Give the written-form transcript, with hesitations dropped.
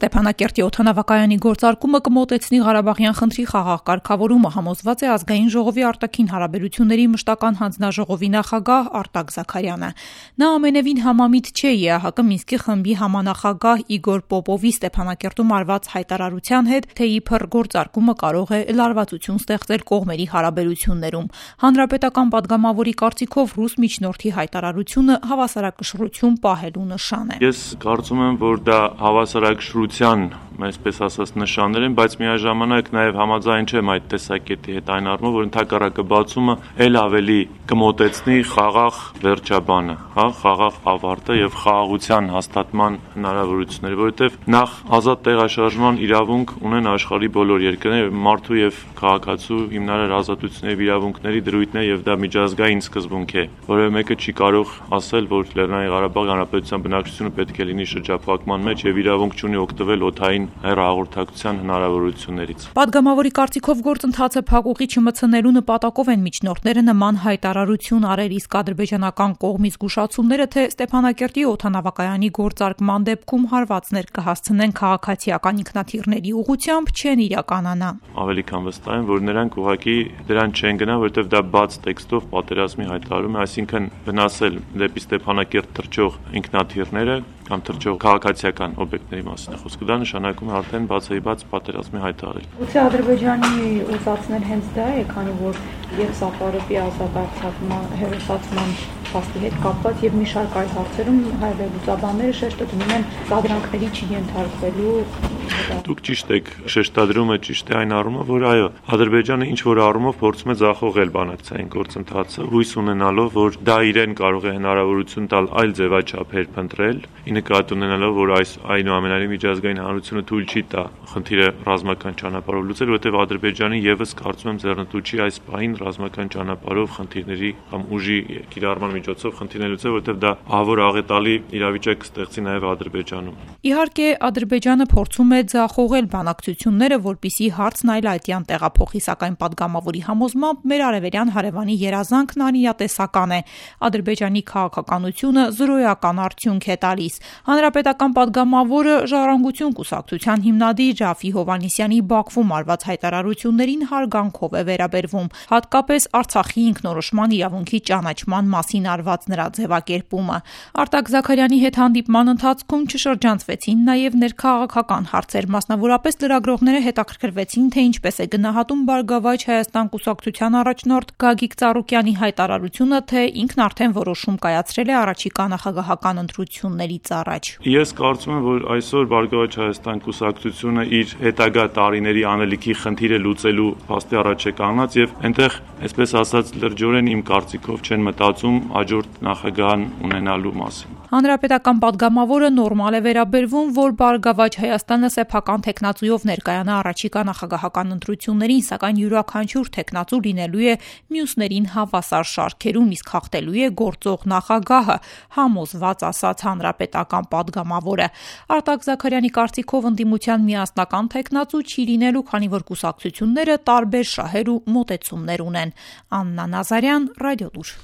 Ստեփանակերտի օդանավակայանի գործարկումը կմոտեցնի Ղարաբաղյան խնդրի խաղաղ կարգավորումը, համոզված է Ազգային ժողովի արտաքին հարաբերությունների մշտական հանձնաժողովի նախագահ Արտակ Զաքարյանը։ Նա ամենևին համամիտ չէ ԵԱՀԿ Մինսկի խմբի համանախագահ Իգոր Պոպովի Ստեփանակերտում արված հայտարարության հետ, թե իբր գործարկումը կարող է լարվածություն ստեղծել կողմերի հարաբերություններում։ Հանրապետական падգամավորի կարծիքով ռուս միջնորդի հայտարարությունը հավասարակշռություն պահելու նշան է։ Ես կարծում եմ, որ դա հավասարակշռության, այսպես ասած, նշաններ են, բայց միաժամանակ նաև համաձայն չեմ այդ տեսակետի հետ այն առումով, որ ընդհակառակը բացումը ել ավելի կմոտեցնի խաղաղ վերջաբանը, խաղաղ ավարտը եւ խաղաղության հաստատման հնարավորությունները, որովհետեւ նախ ազատ տեղաշարժման իրավունք ունեն աշխարհի բոլոր երկրները, մարդու եւ քաղաքացու հիմնարար ազատությունների եւ իրավունքների դրույթն է եւ դա միջազգային սկզբունք է, որը մեկը չի կարող ասել, որ Լեռնային Ղարաբաղի Հանրապետության բնակչությունը պետք է լինի շրջափակման մեջ եւ իրավունք չունի օգտվել օդային հեռահաղորդակցության հնարավորություններից։ Падգամավորի կարծիքով գործընթացը փակուղի չմցնելու նպատակով են միջնորդները նման հայտարարություն արել, իսկ ադրբեջանական կողմից զգուշացումները, թե Ստեփանակերտի օդանավակայանի գործարկման դեպքում հարվածներ կհասցնեն քաղաքացիական ինքնաթիռների ուղղությամբ, չեն իրականանա։ Ավելի քան վստահ եմ, որ նրանք ուղղակի դրան չեն գնա, որովհետև դա բաց տեքստով պատերազմի հայտարարում է, այսինքն վնասել դեպի Ստեփանակերտ թռչող ինքնաթիռները կամ թռչող քաղաքացիական օբյեկտների մասին է խոսքը, դա նշանակում է արդեն բացահայտ պատերազմի հայտարարել։ Գուցե Ադրբեջանի ուզածն հենց դա է, քանի որ եւ Սապարովի ազատացման հերոսացման փաստի հետ կապված եւ մի շարք այլ հարցերում հայրենիքաբանները շեշտը դնում են սադրանքների չենթարկվելու։ Դուք ճիշտ եք, շեշտադրումը ճիշտ է այն առումով, որ այո, Ադրբեջանը ինչ որ առումով փորձում է ձախողել բանակցային գործընթացը, հույս ունենալով, որ դա իրեն կարող է հնարավորություն տալ այլ ձևաչափեր փնտրել, ի նկատի ունենալով, որ այս այնուամենայնիվ միջազգային հանրությունը թույլ չի տա խնդիրը ռազմական ճանապարհով լուծել, որովհետև Ադրբեջանը եւս կարծում եմ ձեռնտու չի այս պահին ռազմական ճանապարհով խնդիրների կամ ուժի կիրառման միջոցով խնդիրներ լուծել, որովհետև դա ահավոր աղետալի իրավիճակ կստեղծի նաեւ Ադրբեջանում։ Իհարկե, Ադրբեջանը փորձում է ձախողել բանակցությունները, որպիսի հարցն այլայլյան տեղափոխի, սակայն падգամավորի համոզմամբ մեր արևելյան հարևանի երազանքն անիրատեսական է։ Ադրբեջանի քաղաքականությունը զրոյական արդյունք է տալիս։ Հանրապետական падգամավորը Ժառանգություն կուսակցության հիմնադիր Րաֆֆի Հովհաննիսյանի Բաքվում արված հայտարարություններին հարգանքով է վերաբերվում, հատկապես Արցախի ինքնորոշման իրավունքի ճանաչման մասին արված նրա ձևակերպումը։ Արտակ Զաքարյանի հետ հանդիպման ընթացքում չշրջանցվեցին նաև ներքաղաքական հարցեր, մասնավորապես լրագրողները հետաքրքրվեցին, թե ինչպես է գնահատում Բարգավաճ Հայաստան կուսակցության առաջնորդ Գագիկ Ծառուկյանի հայտարարությունը, թե ինքն արդեն որոշում կայացրել է առաջիկա նախագահական ընտրություններից առաջ։ Ես կարծում եմ, որ այսօր Բարգավաճ Հայաստան կուսակցությունը իր հետագա տարիների անելիքի խնդիրը լուծելու փաստի առաջ է կանգնած եւ այնտեղ, այսպես ասած, լրջորեն իմ կարծիքով չեն մտածում հաջորդ նախագահան ունենալու մասին։ Հանրապետական падգամավորը նորմալ է վերաբերվում, որ Բարգավաճ Հայաստանը սեփական թեկնածուով ներկայանա առաջիկա նախագահական ընտրություններին, սակայն յուրաքանչյուր թեկնածու լինելու է մյուսներին հավասար շարքերում, իսկ հաղթելու է գործող նախագահը, համոզված ասաց հանրապետական падգամավորը։ Արտակ Զաքարյանի կարծիքով ընդդիմության միասնական թեկնածու չի լինելու, քանի որ կուսակցությունները տարբեր շահեր ու մոտեցումներ ունեն։ Աննա Նազարյան, Ռադիոլուր։